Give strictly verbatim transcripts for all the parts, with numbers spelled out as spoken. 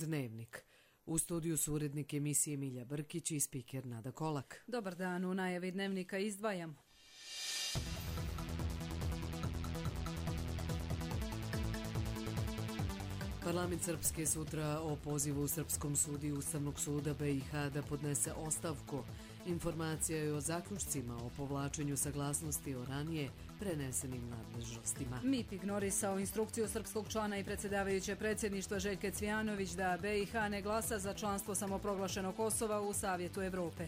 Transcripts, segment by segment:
Dnevnik. U studiju su urednik emisije Milja Brkić i spiker Nada Kolak. Dobar dan, u najavi Dnevnika izdvajamo. Parlament Srpske sutra o pozivu Srpskom sudiju Ustavnog suda B i H da podnese ostavku. Informacija je o zaključcima o povlačenju saglasnosti o ranije prenesenim nadležnostima. M I P ignorisao instrukciju srpskog člana i predsjedavajuće predsjedništva Željke Cvijanović da B i H ne glasa za članstvo samoproglašenog Kosova u Savjetu Evrope.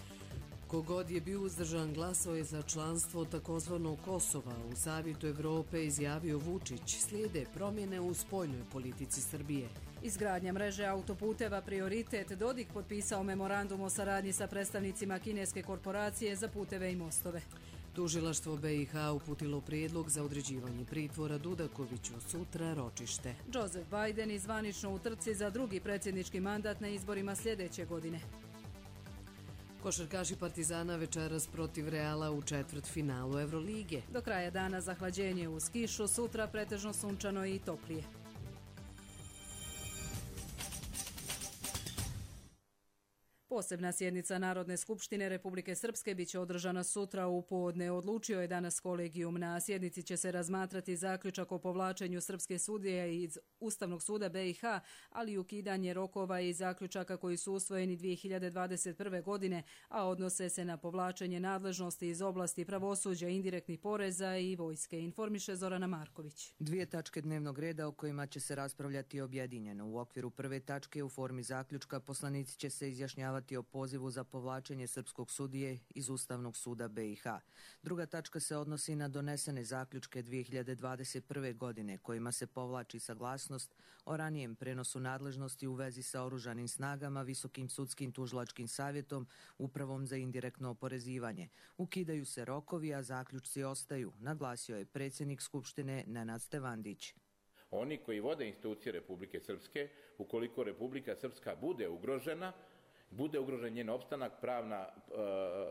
Kogod je bio uzdržan glasao je za članstvo takozvanog Kosova u Savjetu Evrope, izjavio Vučić. Slijede promjene u spoljnoj politici Srbije. Izgradnja mreže autoputeva prioritet. Dodik potpisao memorandum o saradnji sa predstavnicima kineske korporacije za puteve i mostove. Tužilaštvo B i H uputilo prijedlog za određivanje pritvora Dudakoviću, sutra ročište. Joseph Biden izvanično u trci za drugi predsjednički mandat na izborima sljedeće godine. Košarkaši Partizana večeras protiv Reala u četvrtfinalu Evrolige. Do kraja dana zahlađenje uz kišu, sutra pretežno sunčano i toplije. Posebna sjednica Narodne skupštine Republike Srpske biće održana sutra u podne. Odlučio je danas kolegijum. Na sjednici će se razmatrati zaključak o povlačenju srpske sudije iz Ustavnog suda B i H, ali i ukidanje rokova i zaključaka koji su usvojeni dvije hiljade dvadeset prve. godine, a odnose se na povlačenje nadležnosti iz oblasti pravosuđa, indirektnih poreza i vojske, informiše Zorana Marković. Dvije tačke dnevnog reda o kojima će se raspravljati objedinjeno. U okviru prve tačke u formi zaključka poslanici će se izjašnjavati o pozivu za povlačenje srpskog sudije iz Ustavnog suda B i H. Druga tačka se odnosi na donesene zaključke dvije hiljade dvadeset prve. godine kojima se povlači saglasnost o ranijem prenosu nadležnosti u vezi sa oružanim snagama, Visokim sudskim tužilačkim savjetom, Upravom za indirektno oporezivanje. Ukidaju se rokovi, a zaključci ostaju, naglasio je predsjednik Skupštine Nenad Stevandić. Oni koji vode institucije Republike Srpske, ukoliko Republika Srpska bude ugrožena, bude ugrožen njen opstanak, pravna,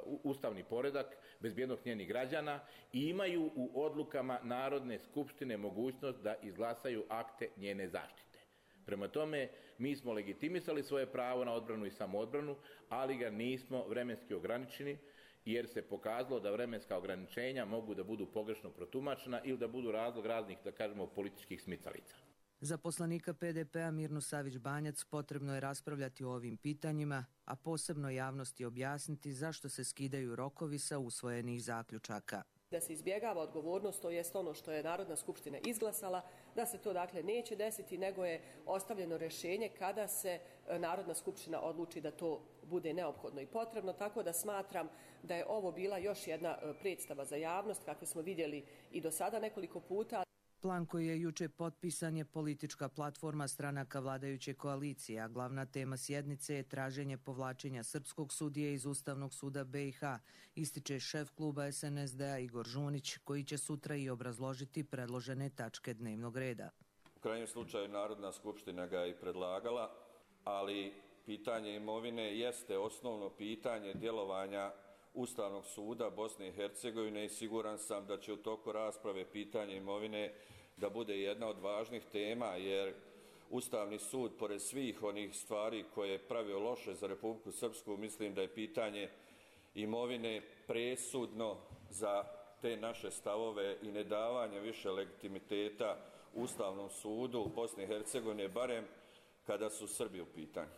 uh, ustavni poredak, bezbjednost njenih građana i imaju u odlukama Narodne skupštine mogućnost da izglasaju akte njene zaštite. Prema tome, mi smo legitimisali svoje pravo na odbranu i samoodbranu, ali ga nismo vremenski ograničeni, jer se pokazalo da vremenska ograničenja mogu da budu pogrešno protumačena ili da budu razlog raznih, da kažemo, političkih smicalica. Za poslanika P D P-a Mirnu Savić-Banjac potrebno je raspravljati o ovim pitanjima, a posebno javnosti objasniti zašto se skidaju rokovi sa usvojenih zaključaka. Da se izbjegava odgovornost, to jest ono što je Narodna skupština izglasala, da se to dakle neće desiti, nego je ostavljeno rješenje kada se Narodna skupština odluči da to bude neophodno i potrebno, tako da smatram da je ovo bila još jedna predstava za javnost, kakve smo vidjeli i do sada nekoliko puta. Plan koji je juče potpisan je politička platforma stranaka vladajuće koalicije, a glavna tema sjednice je traženje povlačenja srpskog sudije iz Ustavnog suda B i H, ističe šef kluba S N S D-a Igor Žunić, koji će sutra i obrazložiti predložene tačke dnevnog reda. U krajnjem slučaju Narodna skupština ga i predlagala, ali pitanje imovine jeste osnovno pitanje djelovanja Ustavnog suda Bosne i Hercegovine i siguran sam da će u toku rasprave pitanje imovine da bude jedna od važnih tema, jer Ustavni sud, pored svih onih stvari koje je pravio loše za Republiku Srpsku, mislim da je pitanje imovine presudno za te naše stavove i nedavanje više legitimiteta Ustavnom sudu Bosne i Hercegovine, barem kada su Srbi u pitanju.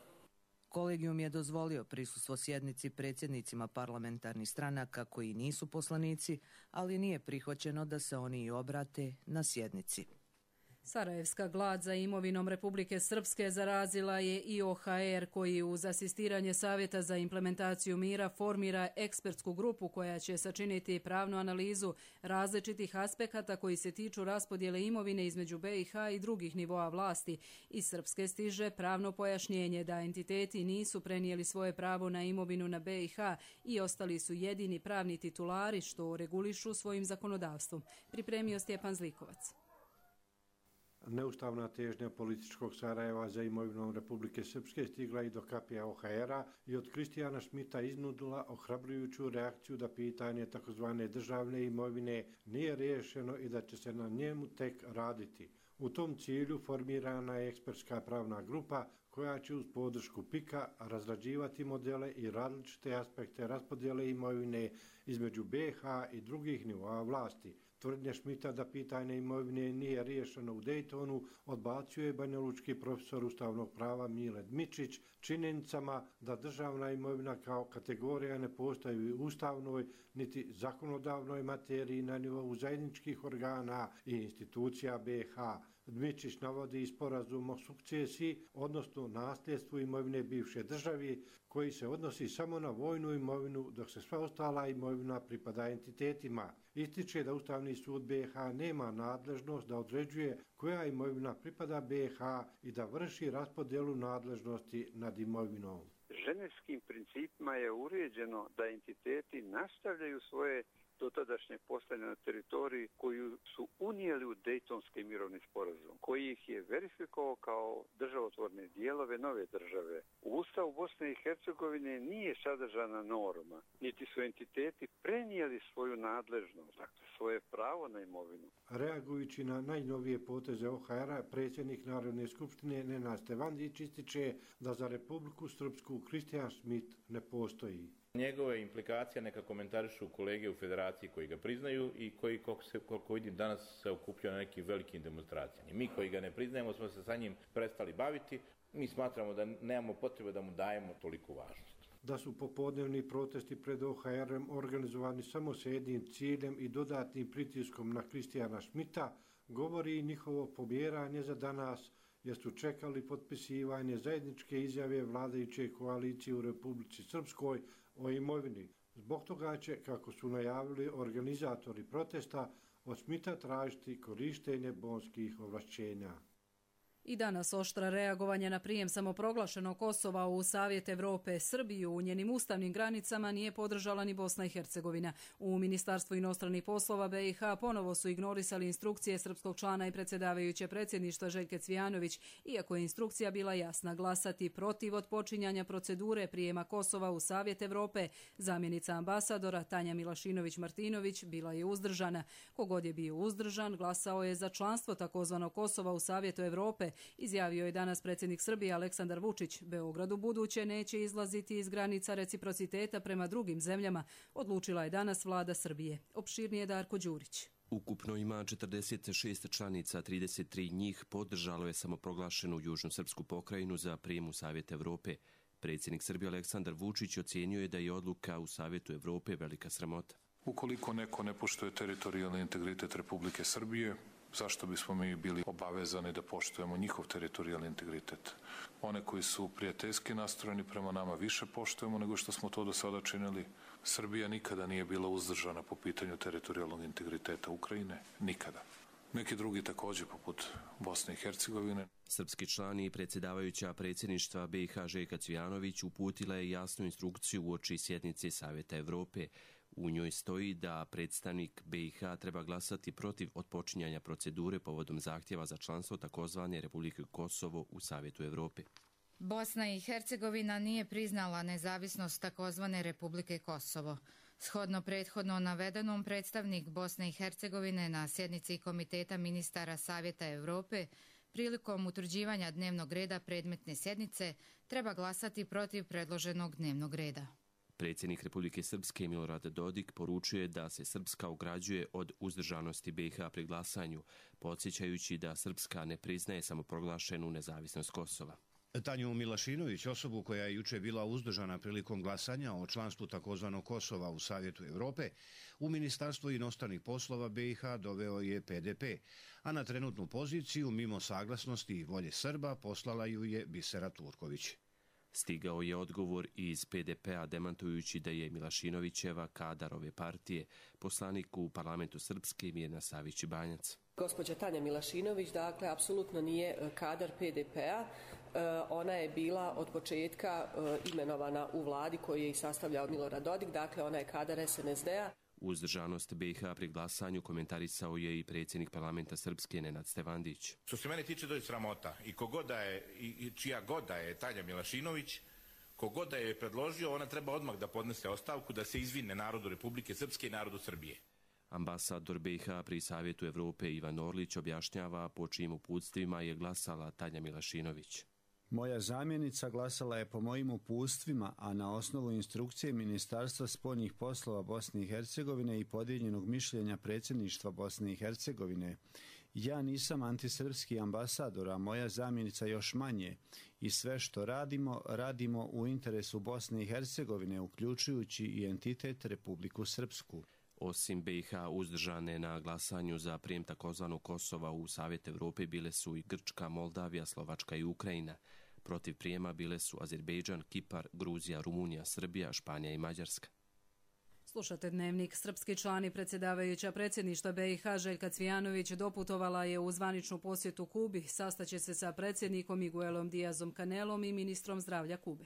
Kolegijum je dozvolio prisustvo sjednici predsjednicima parlamentarnih stranaka koji nisu poslanici, ali nije prihvaćeno da se oni i obrate na sjednici. Sarajevska glad za imovinom Republike Srpske zarazila je i O H R, koji uz asistiranje Savjeta za implementaciju mira formira ekspertsku grupu koja će sačiniti pravnu analizu različitih aspekata koji se tiču raspodjele imovine između B i H i drugih nivoa vlasti. Iz Srpske stiže pravno pojašnjenje da entiteti nisu prenijeli svoje pravo na imovinu na B i H i ostali su jedini pravni titulari što regulišu svojim zakonodavstvom. Pripremio Stjepan Zlikovac. Neustavna težnja političkog Sarajeva za imovinom Republike Srpske stigla i do kapija O H R-a i od Kristijana Šmita iznudila ohrabrujuću reakciju da pitanje takozvane državne imovine nije riješeno i da će se na njemu tek raditi. U tom cilju formirana je ekspertska pravna grupa koja će uz podršku pika razrađivati modele i različite aspekte raspodjele imovine između B iH i drugih nivoa vlasti. Tvrdnja Šmita da pitanje imovine nije riješeno u Dejtonu odbacuje banjalučki profesor ustavnog prava Mile Dmičić činjenicama da državna imovina kao kategorija ne postoji u ustavnoj niti zakonodavnoj materiji na nivou zajedničkih organa i institucija B iH. Dmičić navodi sporazum o sukcesiji, odnosno nasljedstvu imovine bivše države, koji se odnosi samo na vojnu imovinu, dok se sva ostala imovina pripada entitetima. Ističe da Ustavni sud B iH nema nadležnost da određuje koja imovina pripada B iH i da vrši raspodjelu nadležnosti nad imovinom. Ženevskim principima je uređeno da entiteti nastavljaju svoje dotadašnje postojanje na teritoriji koju su unijeli u Dejtonski mirovni sporazum, koji ih je verifikovao kao državotvorne dijelove nove države. U Ustavu Bosne i Hercegovine nije sadržana norma, niti su entiteti prenijeli svoju nadležnost, dakle svoje pravo na imovinu. Reagujući na najnovije poteze O H R-a, predsjednik Narodne skupštine Nenad Stevandić ističe da za Republiku Srpsku Kristijan Šmit ne postoji. Njegove implikacije neka komentarišu kolege u federaciji koji ga priznaju i koji, koliko, se, koliko vidim, danas se okupljaju na nekim velikim demonstracijama. Mi koji ga ne priznajemo smo se sa njim prestali baviti. Mi smatramo da nemamo potrebe da mu dajemo toliku važnost. Da su popodnevni protesti pred O H R-em organizovani samo s jednim ciljem i dodatnim pritiskom na Kristijana Šmita, govori i njihovo pomjeranje za danas, jer su čekali potpisivanje zajedničke izjave vladajuće koalicije u Republici Srpskoj o imovini. Zbog toga će, kako su najavili organizatori protesta, od Šmita tražiti korištenje bonskih ovlašćenja. I danas oštra reagovanje na prijem samoproglašenog Kosova u Savjet Evrope. Srbiju u njenim ustavnim granicama nije podržala ni Bosna i Hercegovina. U Ministarstvu inostranih poslova B iH ponovo su ignorisali instrukcije srpskog člana i predsjedavajuće predsjedništva Željke Cvijanović, iako je instrukcija bila jasna: glasati protiv odpočinjanja procedure prijema Kosova u Savjet Evrope. Zamjenica ambasadora Tanja Milašinović-Martinović bila je uzdržana. Kogod je bio uzdržan, glasao je za članstvo takozvanog Kosova u Savjetu Evrope, izjavio je danas predsjednik Srbije Aleksandar Vučić. Beograd u buduće neće izlaziti iz granica reciprociteta prema drugim zemljama, odlučila je danas vlada Srbije. Opširnije Darko Đurić. Ukupno ima četrdeset šest članica, trideset tri njih podržalo je samoproglašenu Južnu srpsku pokrajinu za prijem u Savjet Evrope. Predsjednik Srbije Aleksandar Vučić ocjenjuje da je odluka u Savjetu Evrope velika sramota. Ukoliko neko ne poštuje teritorijalni integritet Republike Srbije, zašto bismo mi bili obavezani da poštujemo njihov teritorijalni integritet? One koji su prijateljski nastrojeni prema nama više poštujemo nego što smo to do sada činili. Srbija nikada nije bila uzdržana po pitanju teritorijalnog integriteta Ukrajine. Nikada. Neki drugi također, poput Bosne i Hercegovine. Srpski član i predsjedavajuća predsjedništva B iH Željka Cvijanović uputila je jasnu instrukciju uoči sjednice Savjeta Evrope. U njoj stoji da predstavnik B iH treba glasati protiv otpočinjanja procedure povodom zahtjeva za članstvo takozvane Republike Kosovo u Savjetu Evrope. Bosna i Hercegovina nije priznala nezavisnost takozvane Republike Kosovo. Shodno prethodno navedenom, predstavnik Bosne i Hercegovine na sjednici Komiteta ministara Savjeta Evrope prilikom utvrđivanja dnevnog reda predmetne sjednice treba glasati protiv predloženog dnevnog reda. Predsjednik Republike Srpske Milorad Dodik poručuje da se Srpska ograđuje od uzdržanosti B iH pri glasanju, podsjećajući da Srpska ne priznaje samoproglašenu nezavisnost Kosova. Tanju Milašinović, osobu koja je juče bila uzdržana prilikom glasanja o članstvu takozvanog Kosova u Savjetu Evrope, u Ministarstvu inostranih poslova B iH doveo je P D P, a na trenutnu poziciju, mimo saglasnosti i volje Srba, poslala ju je Bisera Turković. Stigao je odgovor iz P D P-a demantujući da je Milašinovićeva, kadar ove partije, poslanik u parlamentu Srpske Mirna Savić-Banjac. Gospođa Tanja Milašinović, dakle, apsolutno nije kadar P D P-a. Ona je bila od početka imenovana u vladi koju je i sastavljao Milorad Dodik, dakle ona je kadar S N S D-a. Uzdržanost B iH pri glasanju komentarisao je i predsjednik parlamenta Srpske Nenad Stevandić. Što se mene tiče, to je sramota. I kogoda je, i čija goda je Tanja Milašinović, kogoda je predložio, ona treba odmah da podnese ostavku, da se izvine narodu Republike Srpske i narodu Srbije. Ambasador B iH pri Savjetu Evrope Ivan Orlić objašnjava po čijim uputstvima je glasala Tanja Milašinović. Moja zamjenica glasala je po mojim uputstvima, a na osnovu instrukcije Ministarstva spoljnih poslova Bosne i Hercegovine i podijeljenog mišljenja predsjedništva Bosne i Hercegovine. Ja nisam antisrpski ambasador, a moja zamjenica još manje. I sve što radimo, radimo u interesu Bosne i Hercegovine, uključujući i entitet Republiku Srpsku. Osim B i H uzdržane na glasanju za prijem takozvanog Kosova u Savjet Evrope bile su i Grčka, Moldavija, Slovačka i Ukrajina. Protiv prijema bile su Azerbejdžan, Kipar, Gruzija, Rumunija, Srbija, Španija i Mađarska. Slušate Dnevnik. Srpski član i predsjedavajuća predsjedništva B i H Željka Cvijanović doputovala je u zvaničnu posjetu Kubi. Sastaće se sa predsjednikom Miguelom Diazom Canelom i ministrom zdravlja Kube.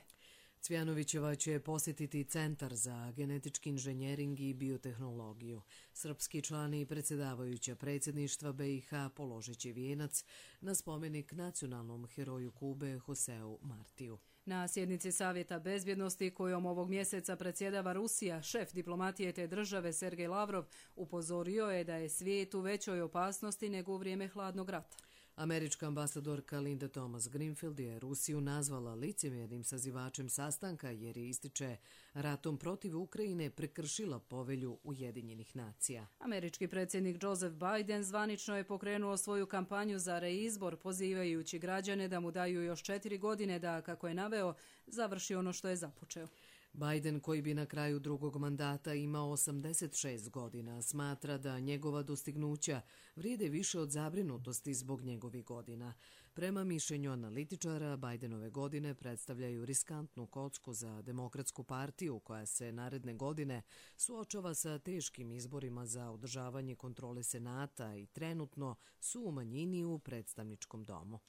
Cvijanovićeva će posjetiti Centar za genetički inženjering i biotehnologiju. Srpski član i predsjedavajuća predsjedništva B i H položit će vijenac na spomenik nacionalnom heroju Kube Joseu Martiju. Na sjednici Savjeta bezbjednosti kojom ovog mjeseca predsjedava Rusija, šef diplomatije te države Sergej Lavrov upozorio je da je svijet u većoj opasnosti nego u vrijeme hladnog rata. Američka ambasadorka Linda Thomas Greenfield je Rusiju nazvala licemjernim sazivačem sastanka jer je, ističe, ratom protiv Ukrajine prekršila povelju Ujedinjenih nacija. Američki predsjednik Joseph Biden zvanično je pokrenuo svoju kampanju za reizbor, pozivajući građane da mu daju još četiri godine da, kako je naveo, završi ono što je započeo. Biden, koji bi na kraju drugog mandata imao osamdeset šest godina, smatra da njegova dostignuća vrijede više od zabrinutosti zbog njegovih godina. Prema mišljenju analitičara, Bidenove godine predstavljaju riskantnu kocku za Demokratsku partiju koja se naredne godine suočava sa teškim izborima za održavanje kontrole Senata i trenutno su u manjini u predstavničkom domu.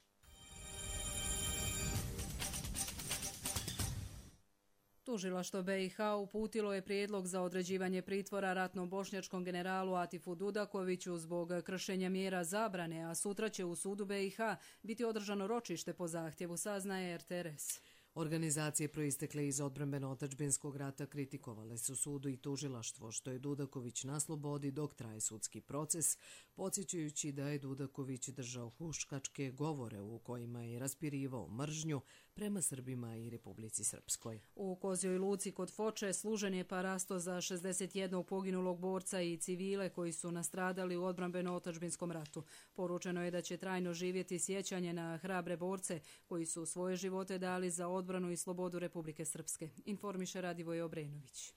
Tužilaštvo B i H uputilo je prijedlog za određivanje pritvora ratnom bošnjačkom generalu Atifu Dudakoviću zbog kršenja mjera zabrane, a sutra će u sudu B i H biti održano ročište po zahtjevu, saznaje R T R S. Organizacije proistekle iz odbrambeno-otadžbinskog rata kritikovale su sudu i tužilaštvo što je Dudaković na slobodi dok traje sudski proces, podsjećajući da je Dudaković držao huškačke govore u kojima je raspirivao mržnju prema Srbima i Republici Srpskoj. U Kozjoj Luci kod Foče služen je parasto za šezdeset jednog poginulog borca i civile koji su nastradali u odbrambeno-otadžbinskom ratu. Poručeno je da će trajno živjeti sjećanje na hrabre borce koji su svoje živote dali za odbranu i slobodu Republike Srpske, informiše Radivoje Obrenović.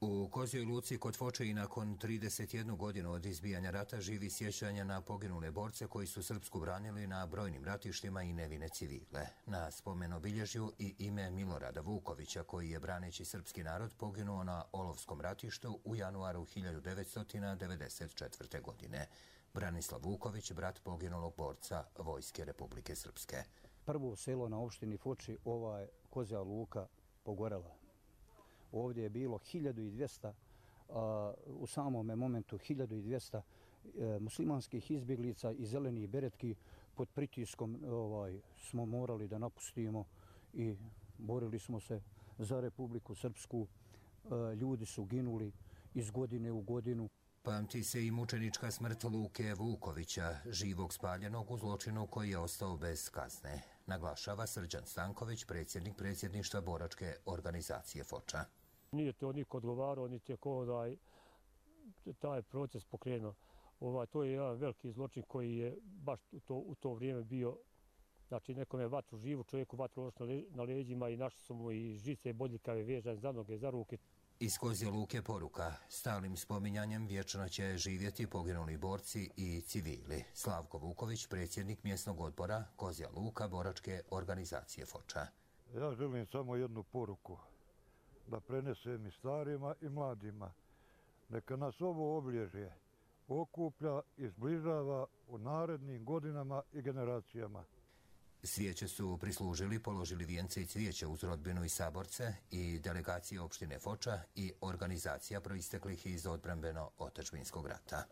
U Kozjoj Luci kod Foče i nakon trideset jednu godinu od izbijanja rata živi sjećanja na poginule borce koji su Srpsku branili na brojnim ratištima i nevine civile. Na spomen obilježju i ime Milorada Vukovića koji je braneći srpski narod poginuo na Olovskom ratištu u januaru hiljadu devetsto devedeset četvrte. godine. Branislav Vuković, brat poginulog borca Vojske Republike Srpske. Prvo selo na opštini Foči, ova je Kozja Luka pogorela. Ovdje je bilo hiljadu dvjesto, u samom momentu hiljadu dvjesto muslimanskih izbjeglica i zelenih beretki pod pritiskom ovaj, smo morali da napustimo i borili smo se za Republiku Srpsku. Ljudi su ginuli iz godine u godinu. Pamti se i mučenička smrt Luke Vukovića, živog spaljenog u zločinu koji je ostao bez kazne, naglašava Srđan Stanković, predsjednik predsjedništva boračke organizacije Foča. Nije to niko odgovarao, niti je ko da taj proces pokrenuo. Ovaj, to je jedan veliki zločin koji je baš u to, u to vrijeme bio, znači nekome vatru živu, čovjeku vatru na leđima i našli su mu i žice bodljikave vežane za noge, za ruke. Iz Kozje Luke poruka, stalnim spominjanjem vječno će živjeti poginuli borci i civili. Slavko Vuković, predsjednik mjesnog odbora Kozja Luka boračke organizacije Foča. Ja želim samo jednu poruku, da prenesem i starima i mladima. Neka nas ovo obilježje okuplja i zbližava u narednim godinama i generacijama. Svijeće su prislužili, položili vijence i cvijeće uz rodbinu i saborce i delegacije opštine Foča i organizacija proisteklih iz odbrambeno-otadžbinskog rata.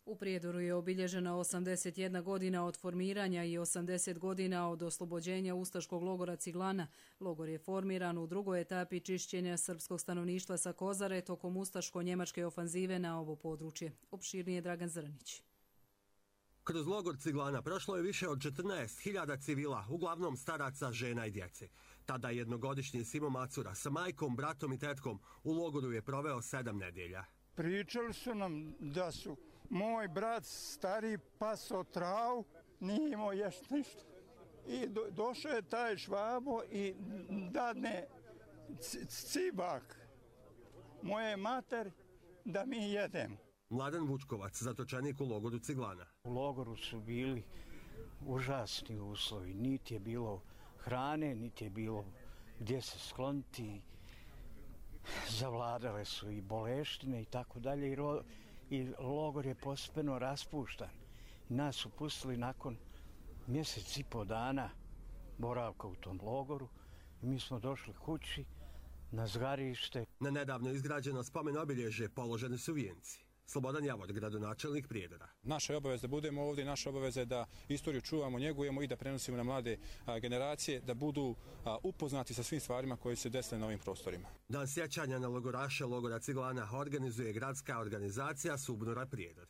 U Prijedoru je obilježena osamdeset jedna godina od formiranja i osamdeset godina od oslobođenja ustaškog logora Ciglana. Logor je formiran u drugoj etapi čišćenja srpskog stanovništva sa Kozare tokom ustaško-njemačke ofanzive na ovo područje. Opširnije Dragan Zrnić. Kroz logor Ciglana prošlo je više od četrnaest hiljada civila, uglavnom staraca, žena i djece. Tada jednogodišnji Simo Macura sa majkom, bratom i tetkom u logoru je proveo sedam nedjelja. Pričali su nam da su moj brat stari paso travu, nije imao ješt ništa. I do, došao je taj Švabo i dadne cibak moje mater da mi jedemo. Mladen Vučkovac, zatočenik u logoru Ciglana. U logoru su bili užasni uslovi, niti je bilo hrane, niti je bilo gdje se skloniti. Zavladale su i boleštine i tako dalje i logor je postepeno raspuštan. Nas su pustili nakon mjesec i po dana boravka u tom logoru i mi smo došli kući na zgarište. Na nedavno izgrađeno spomen obilježje položeni su vijenci. Slobodan Javor, gradonačelnik Prijedora. Naša je obaveza da budemo ovdje, naša obaveza je da istoriju čuvamo, njegujemo i da prenosimo na mlade a, generacije, da budu a, upoznati sa svim stvarima koje se desile na ovim prostorima. Dan sjećanja na logoraše logora Ciglana organizuje gradska organizacija Subnora Prijedor.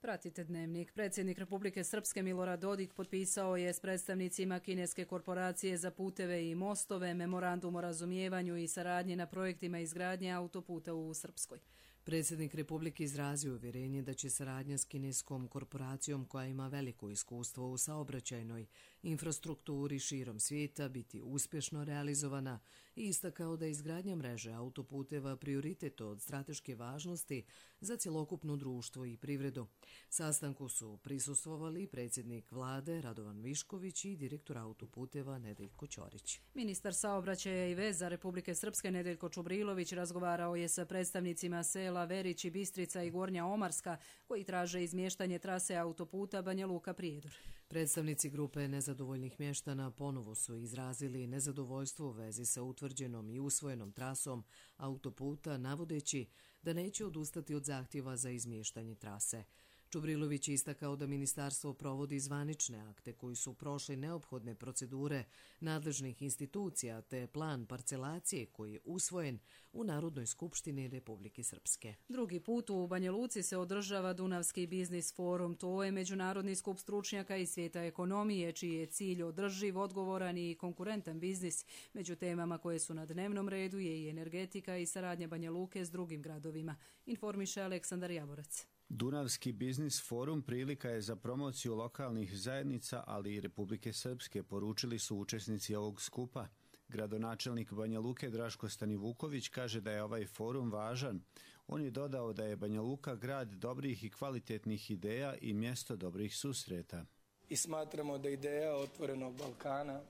Pratite Dnevnik. Predsjednik Republike Srpske Milorad Dodik potpisao je s predstavnicima kineske korporacije za puteve i mostove memorandum o razumijevanju i saradnji na projektima izgradnje autoputa u Srpskoj. Predsjednik Republike izrazio uvjerenje da će saradnja s kineskom korporacijom koja ima veliko iskustvo u saobraćajnoj infrastrukturi širom svijeta biti uspješno realizovana i istakao da je izgradnja mreže autoputeva prioritet od strateške važnosti za cjelokupno društvo i privredu. Sastanku su prisustvovali predsjednik vlade Radovan Višković i direktor autoputeva Nedeljko Ćorić. Ministar saobraćaja i veza Republike Srpske Nedeljko Čubrilović razgovarao je sa predstavnicima sela Verić i Bistrica i Gornja Omarska koji traže izmještanje trase autoputa Banja Luka Prijedor. Predstavnici grupe nezadovoljnih mještana ponovo su izrazili nezadovoljstvo u vezi sa utvrđenom i usvojenom trasom autoputa, navodeći da neće odustati od zahtjeva za izmještanje trase. Čubrilović je istakao da ministarstvo provodi zvanične akte koji su prošli neophodne procedure nadležnih institucija te plan parcelacije koji je usvojen u Narodnoj skupštini Republike Srpske. Drugi put u Banja Luci se održava Dunavski biznis forum. To je međunarodni skup stručnjaka iz svijeta ekonomije, čiji je cilj održiv, odgovoran i konkurentan biznis. Među temama koje su na dnevnom redu je i energetika i saradnja Banja Luke s drugim gradovima, informiše Aleksandar Javorac. Dunavski biznis forum prilika je za promociju lokalnih zajednica, ali i Republike Srpske, poručili su učesnici ovog skupa. Gradonačelnik Banja Luke Draško Stanivuković kaže da je ovaj forum važan. On je dodao da je Banja Luka grad dobrih i kvalitetnih ideja i mjesto dobrih susreta. I smatramo da ideja otvorenog Balkana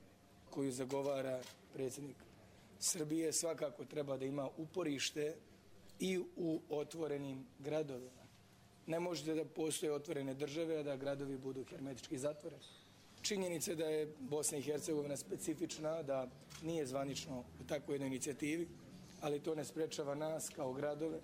koju zagovara predsjednik Srbije svakako treba da ima uporište i u otvorenim gradovima. Ne možete da postoje otvorene države, a da gradovi budu hermetički zatvoreni. Činjenica je da je Bosna i Hercegovina specifična, da nije zvanično u takvoj jednoj inicijativi, ali to ne sprečava nas kao gradove,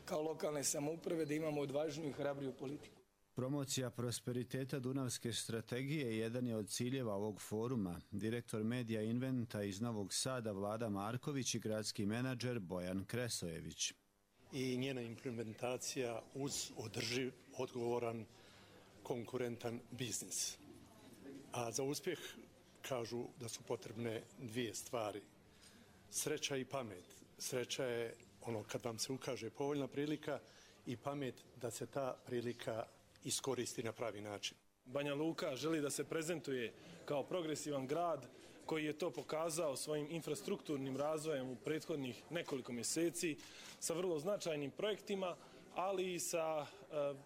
kao lokalne samouprave da imamo odvažniju i hrabriju politiku. Promocija prosperiteta Dunavske strategije jedan je od ciljeva ovog foruma. Direktor Medija Inventa iz Novog Sada Vlada Marković i gradski menadžer Bojan Kresojević. I njena implementacija uz održiv, odgovoran, konkurentan biznis. A za uspjeh kažu da su potrebne dvije stvari. Sreća i pamet. Sreća je ono kad vam se ukaže povoljna prilika i pamet da se ta prilika iskoristi na pravi način. Banja Luka želi da se prezentuje kao progresivan grad koji je to pokazao svojim infrastrukturnim razvojem u prethodnih nekoliko mjeseci sa vrlo značajnim projektima, ali i sa uh,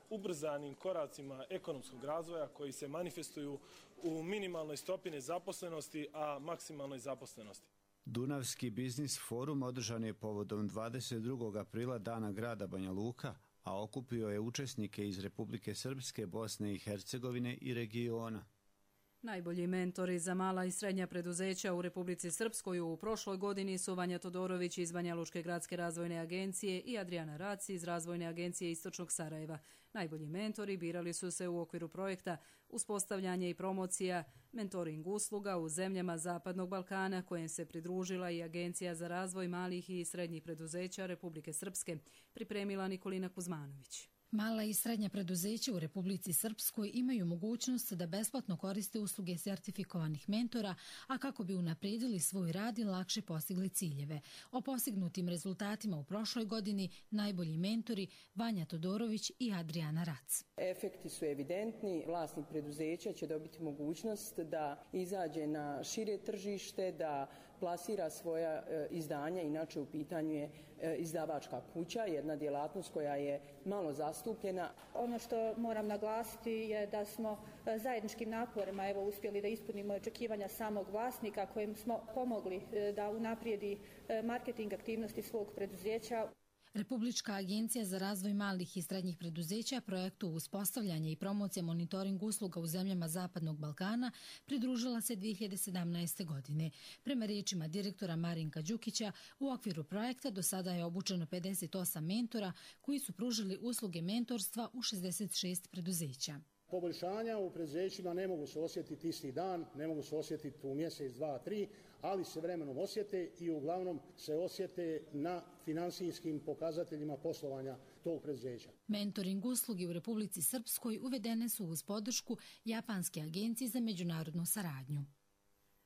ubrzanim koracima ekonomskog razvoja koji se manifestuju u minimalnoj stopi nezaposlenosti, a maksimalnoj zaposlenosti. Dunavski biznis forum održan je povodom dvadeset drugog aprila Dana grada Banja Luka, a okupio je učesnike iz Republike Srpske, Bosne i Hercegovine i regiona. Najbolji mentori za mala i srednja preduzeća u Republici Srpskoj u prošloj godini su Vanja Todorović iz Banja Lučke gradske razvojne agencije i Adriana Raci iz Razvojne agencije Istočnog Sarajeva. Najbolji mentori birali su se u okviru projekta uspostavljanje i promocija mentoring usluga u zemljama Zapadnog Balkana, kojem se pridružila i Agencija za razvoj malih i srednjih preduzeća Republike Srpske, pripremila Nikolina Kuzmanović. Mala i srednja preduzeća u Republici Srpskoj imaju mogućnost da besplatno koriste usluge sertifikovanih mentora, a kako bi unaprijedili svoj rad i lakše postigli ciljeve. O postignutim rezultatima u prošloj godini najbolji mentori Vanja Todorović i Adriana Rac. Efekti su evidentni. Vlasnik preduzeća će dobiti mogućnost da izađe na šire tržište, da plasira svoja e, izdanja, inače u pitanju je e, izdavačka kuća, jedna djelatnost koja je malo zastupljena. Ono što moram naglasiti je da smo e, zajedničkim naporima evo uspjeli da ispunimo očekivanja samog vlasnika kojem smo pomogli e, da unaprijedi e, marketing aktivnosti svog preduzeća. Republička agencija za razvoj malih i srednjih preduzeća projektu uspostavljanja i promocije monitoring usluga u zemljama Zapadnog Balkana pridružila se dvije hiljade sedamnaeste. godine. Prema riječima direktora Marinka Đukića, u okviru projekta do sada je obučeno pedeset osam mentora koji su pružili usluge mentorstva u šezdeset šest preduzeća. Poboljšanja u preduzećima ne mogu se osjetiti isti dan, ne mogu se osjetiti u mjesec, dva, tri, ali se vremenom osjete i uglavnom se osjete na finansijskim pokazateljima poslovanja tog preduzeća. Mentoring usluge u Republici Srpskoj uvedene su uz podršku Japanske agencije za međunarodnu saradnju.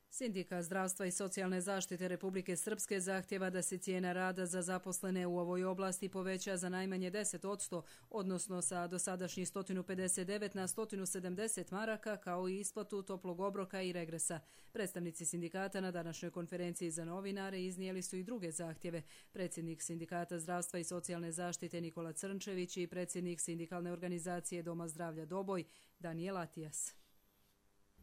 Sindikat zdravstva i socijalne zaštite Republike Srpske zahtjeva da se cijena rada za zaposlene u ovoj oblasti poveća za najmanje deset posto, odnosno sa dosadašnjih sto pedeset devet na sto sedamdeset maraka, kao i isplatu toplog obroka i regresa. Predstavnici sindikata na današnjoj konferenciji za novinare iznijeli su i druge zahtjeve. Predsjednik Sindikata zdravstva i socijalne zaštite Nikola Crnčević i predsjednik sindikalne organizacije Doma zdravlja Doboj Daniel Atijas.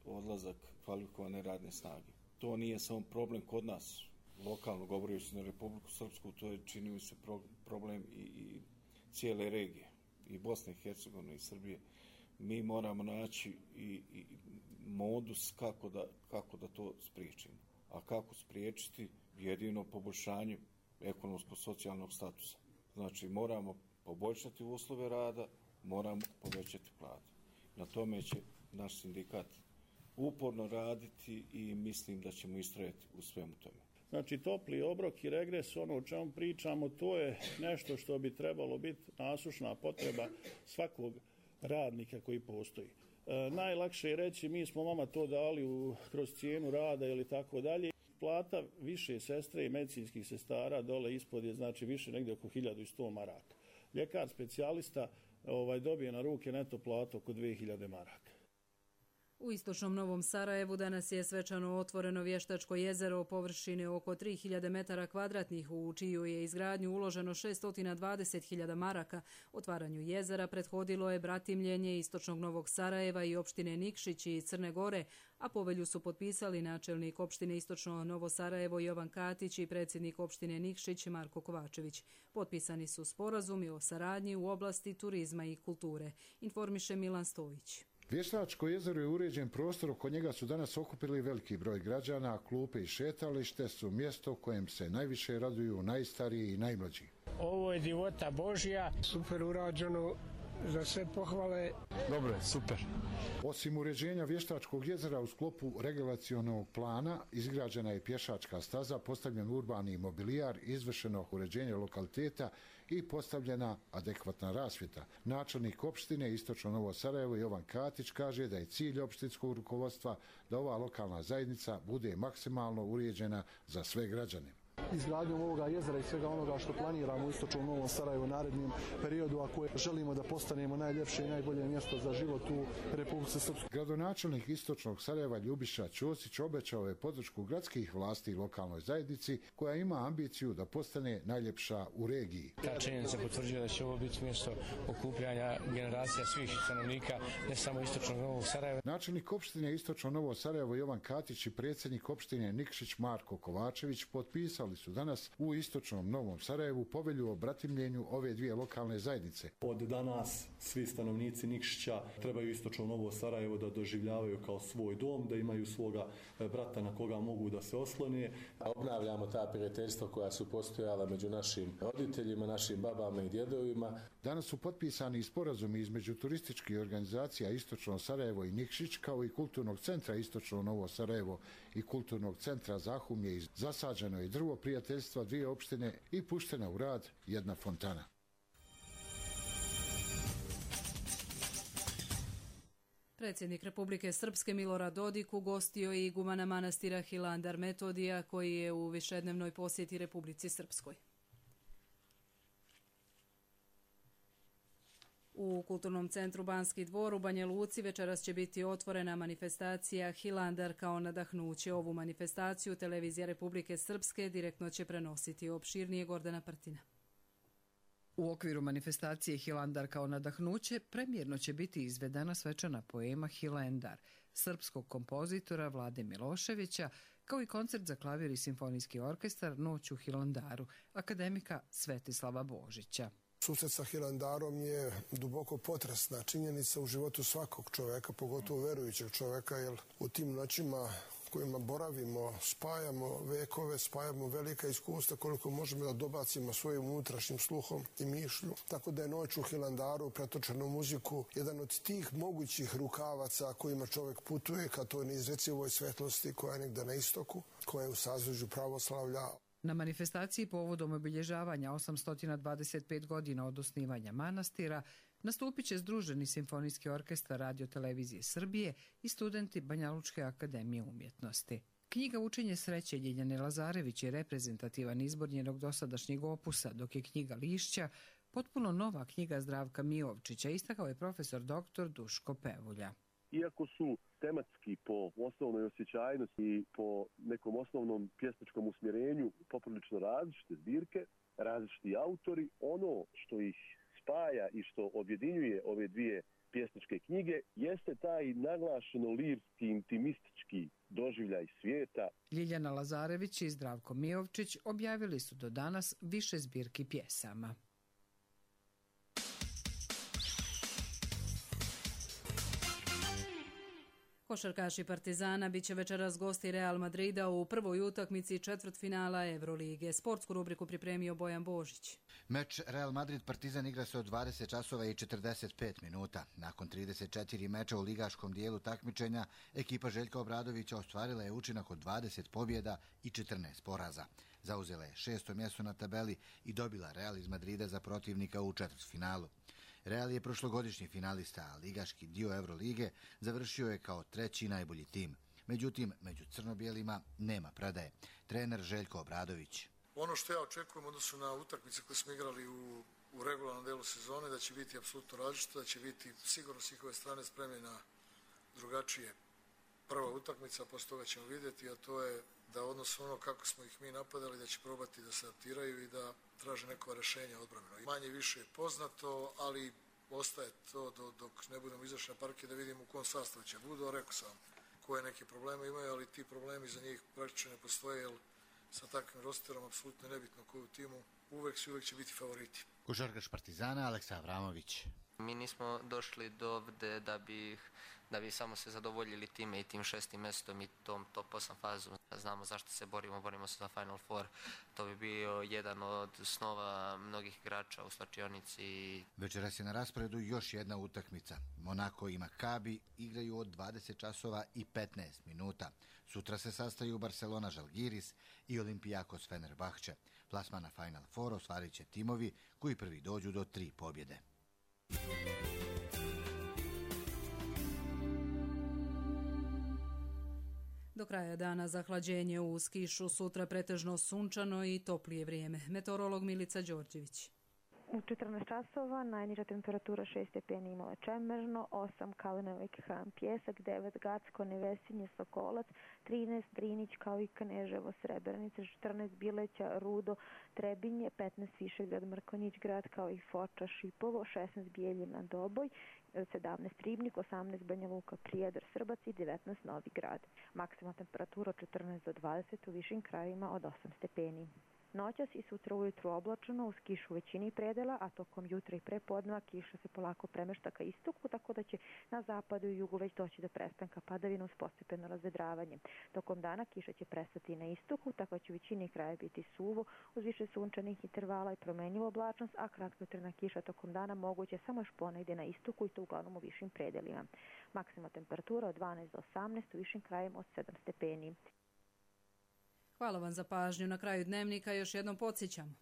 Odlazak kvalifikovane radne snage. To nije samo problem kod nas, lokalno govoreći na Republiku Srpsku, to je čini mi se problem i, i cijele regije, i Bosne i Hercegovine i Srbije. Mi moramo naći i, i modus kako da, kako da to spriječimo. A kako spriječiti? Jedino poboljšanje ekonomsko-socijalnog statusa. Znači moramo poboljšati uslove rada, moramo povećati plate. Na tome će naš sindikat uporno raditi i mislim da ćemo istrajati u svemu tome. Znači topli obrok i regres, ono o čemu pričamo, to je nešto što bi trebalo biti nasušna potreba svakog radnika koji postoji. E, najlakše je reći mi smo vama to dali u, kroz cijenu rada ili tako dalje. Plata više sestre i medicinskih sestara dole ispod je znači više negdje oko hiljadu sto maraka. Ljekar specijalista ovaj, dobije na ruke neto platu oko dvije hiljade maraka. U istočnom Novom Sarajevu danas je svečano otvoreno vještačko jezero o površini oko tri hiljade metara kvadratnih, u čiju je izgradnju uloženo šesto dvadeset hiljada maraka. Otvaranju jezera prethodilo je bratimljenje istočnog Novog Sarajeva i opštine Nikšić i Crne Gore, a povelju su potpisali načelnik opštine istočno Novo Sarajevo Jovan Katić i predsjednik opštine Nikšić Marko Kovačević. Potpisani su sporazumi o saradnji u oblasti turizma i kulture, informiše Milan Stojić. Vještačko jezero je uređen prostor, oko njega su danas okupili veliki broj građana, a klupe i šetalište su mjesto kojem se najviše raduju najstariji i najmlađi. Ovo je divota Božja, super urađeno, za sve pohvale. Dobro je, super. Osim uređenja vještačkog jezera u sklopu regulacionog plana, izgrađena je pješačka staza, postavljen urbani mobilijar, izvršeno uređenje lokaliteta i postavljena adekvatna rasvjeta. Načelnik opštine Istočno Novo Sarajevo Jovan Katić kaže da je cilj opštinskog rukovodstva da ova lokalna zajednica bude maksimalno uređena za sve građane. Izgradnjom ovoga jezera i svega onoga što planiramo u Istočnom Novom Sarajevu u narednim periodu, ako želimo da postanemo najljepše i najbolje mjesto za život u Republici Srpskoj. Gradonačelnik Istočnog Sarajeva Ljubiša Ćosić obećao je podršku gradskih vlasti i lokalnoj zajednici koja ima ambiciju da postane najljepša u regiji. Ta činjenica potvrđuje da će ovo biti mjesto okupljanja generacija svih stanovnika, ne samo Istočnog Novog Sarajeva. Načelnik opštine Istočno Novo Sarajevo Jovan Katić i predsjednik opštine Nikšić Marko Kovačević potpisali su danas u Istočnom Novom Sarajevu povelju o bratimljenju ove dvije lokalne zajednice. Od danas svi stanovnici Nikšića trebaju Istočno Novo Sarajevo da doživljavaju kao svoj dom, da imaju svoga brata na koga mogu da se oslone. Obnavljamo ta prijateljstva koja su postojala među našim roditeljima, našim babama i djedovima. Danas su potpisani sporazumi između turističkih organizacija Istočno Sarajevo i Nikšić, kao i Kulturnog centra Istočno Novo Sarajevo i Kulturnog centra Zahumlje. Zasađeno je drvo prijateljstva dvije opštine i puštena u rad jedna fontana. Predsjednik Republike Srpske Milorad Dodik ugostio je igumana manastira Hilandar Metodija koji je u višednevnoj posjeti Republici Srpskoj. U Kulturnom centru Banski dvor u Banja Luci večeras će biti otvorena manifestacija Hilandar kao nadahnuće. Ovu manifestaciju televizija Republike Srpske direktno će prenositi. Opširnije Gordana Prtina. U okviru manifestacije Hilandar kao nadahnuće premijerno će biti izvedena svečana poema Hilandar srpskog kompozitora Vlade Miloševića, kao i koncert za klavir i simfonijski orkestar Noć u Hilandaru akademika Svetislava Božića. Susret sa Hilandarom je duboko potresna činjenica u životu svakog čoveka, pogotovo verujućeg čoveka, jer u tim noćima kojima boravimo, spajamo vekove, spajamo velika iskustva koliko možemo da dobacimo svojim unutrašnjim sluhom i mišlju. Tako da je Noć u Hilandaru, pretočena u muziku, jedan od tih mogućih rukavaca kojima čovek putuje ka toj neizrecivoj svetlosti koja je negde na istoku, koja je u sazvežđu pravoslavlja. Na manifestaciji povodom obilježavanja osamsto dvadeset pet godina od osnivanja manastira nastupit će Združeni simfonijski orkestar Radio televizije Srbije i studenti Banjalučke akademije umjetnosti. Knjiga Učenje sreće Ljiljane Lazarević je reprezentativan izbor njenog dosadašnjeg opusa, dok je knjiga Lišća potpuno nova knjiga Zdravka Mijovčića, istakao je profesor doktor Duško Pevulja. Iako su tematski po osnovnoj osjećajnosti i po nekom osnovnom pjesničkom usmjerenju poprilično različite zbirke, različiti autori, ono što ih spaja i što objedinjuje ove dvije pjesničke knjige jeste taj naglašeno lirski, intimistički doživljaj svijeta. Ljiljana Lazarević i Zdravko Mijovčić objavili su do danas više zbirki pjesama. Košarkaši Partizana bit će večeras gosti Real Madrida u prvoj utakmici četvrtfinala Evrolige. Sportsku rubriku pripremio Bojan Božić. Meč Real Madrid-Partizan igra se od dvadeset časova i četrdeset pet minuta. Nakon trideset četiri meča u ligaškom dijelu takmičenja, ekipa Željka Obradovića ostvarila je učinak od dvadeset pobjeda i četrnaest poraza. Zauzela je šesto mjesto na tabeli i dobila Real iz Madrida za protivnika u četvrtfinalu. Real je prošlogodišnji finalista, a ligaški dio Evrolige završio je kao treći najbolji tim. Međutim, među crno-bijelima nema predaje. Trener Željko Obradović. Ono što ja očekujem odnosu na utakmice koje smo igrali u, u regularnom delu sezone, da će biti apsolutno različito, da će biti sigurno s njihove strane spremni na drugačije. Prva utakmica, posle toga ćemo vidjeti, a to je da odnosno ono kako smo ih mi napadali, da će probati da se adaptiraju i da traže neko rješenje odbrambeno. Manje više je poznato, ali ostaje to do, dok ne budemo izašli na parke da vidimo u kom sastavu će budu, a rekao sam koje neke probleme imaju, ali ti problemi za njih praktično ne postoje, jer sa takvim rosterom apsolutno nebitno koju timu uvek su uvek će biti favoriti. Košarkaš Partizana Aleksa Avramović. Mi nismo došli do ovde da bi, da bi samo se zadovoljili time i tim šestim mjestom i tom top osam fazu. Znamo zašto se borimo, borimo se za Final Four. To bi bio jedan od snova mnogih igrača u slačionici. Večeras je na rasporedu još jedna utakmica. Monako i Makabi igraju od dvadeset časova i petnaest minuta. Sutra se sastaju Barcelona Žalgiris i Olympiakos Fenerbahče. Plasma na Final Four ostvarit će timovi koji prvi dođu do tri pobjede. Do kraja dana zahlađenje uz kišu, sutra pretežno sunčano i toplije vrijeme. Meteorolog Milica Đorđević. U četrnaest časova najniža temperatura šest stepeni Imala Čemerno, osam Kalinovik Han Pjesak, devet Gacko, Nevesinje, Sokolac, trinaest Drinić kao i Kneževo, Srebrenica, četrnaest Bileća, Rudo, Trebinje, petnaest Višegrad, Mrkonjić grad kao i Foča, Šipovo, šesnaest Bijeljina, Doboj, sedamnaest Ribnik, osamnaest Banja Luka, Prijedor, Srbac i devetnaest Novi Grad. Maksimalna temperatura od četrnaest do dvadeset, u višim krajevima od osam stepeni. Noćas i sutra ujutru oblačeno uz kišu u većini predela, a tokom jutra i prepodneva kiša se polako premešta ka istoku, tako da će na zapadu i jugu već doći do prestanka padavina uz postepeno razvedravanje. Tokom dana kiša će prestati na istoku, tako će u većini kraja biti suvo uz više sunčanih intervala i promenljivu oblačnost, a kratkotrajna kiša tokom dana moguće samo još ponegdje na istoku i to uglavnom u višim predelima. Maksimalna temperatura od dvanaest do osamnaest, u višim krajevima od sedam stepeni. Hvala vam za pažnju. Na kraju dnevnika još jednom podsjećamo.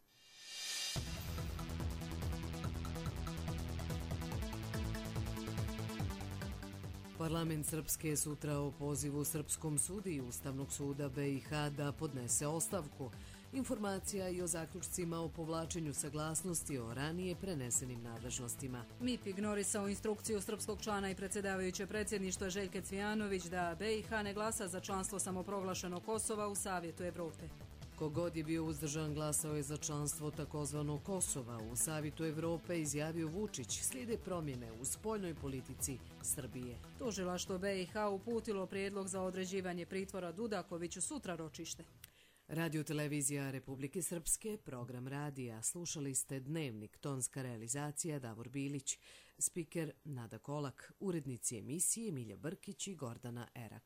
Parlament Srpske sutra o pozivu Srpskom sudiji Ustavnog suda be i ha da podnese ostavku. Informacija i o zaključcima o povlačenju saglasnosti o ranije prenesenim nadležnostima. M I P ignorisao instrukciju srpskog člana i predsjedavajuće predsjedništva Željke Cvijanović da be i ha ne glasa za članstvo samoproglašenog Kosova u Savjetu Evrope. Kogod je bio uzdržan glasao je za članstvo takozvanog Kosova u Savjetu Evrope, izjavio Vučić, slijede promjene u spoljnoj politici Srbije. Tužilaštvo be i ha uputilo prijedlog za određivanje pritvora Dudakoviću sutra ročište. Radio televizija Republike Srpske, program radija. Slušali ste Dnevnik, tonska realizacija Davor Bilić, spiker Nada Kolak, urednici emisije Milja Brkić i Gordana Erak.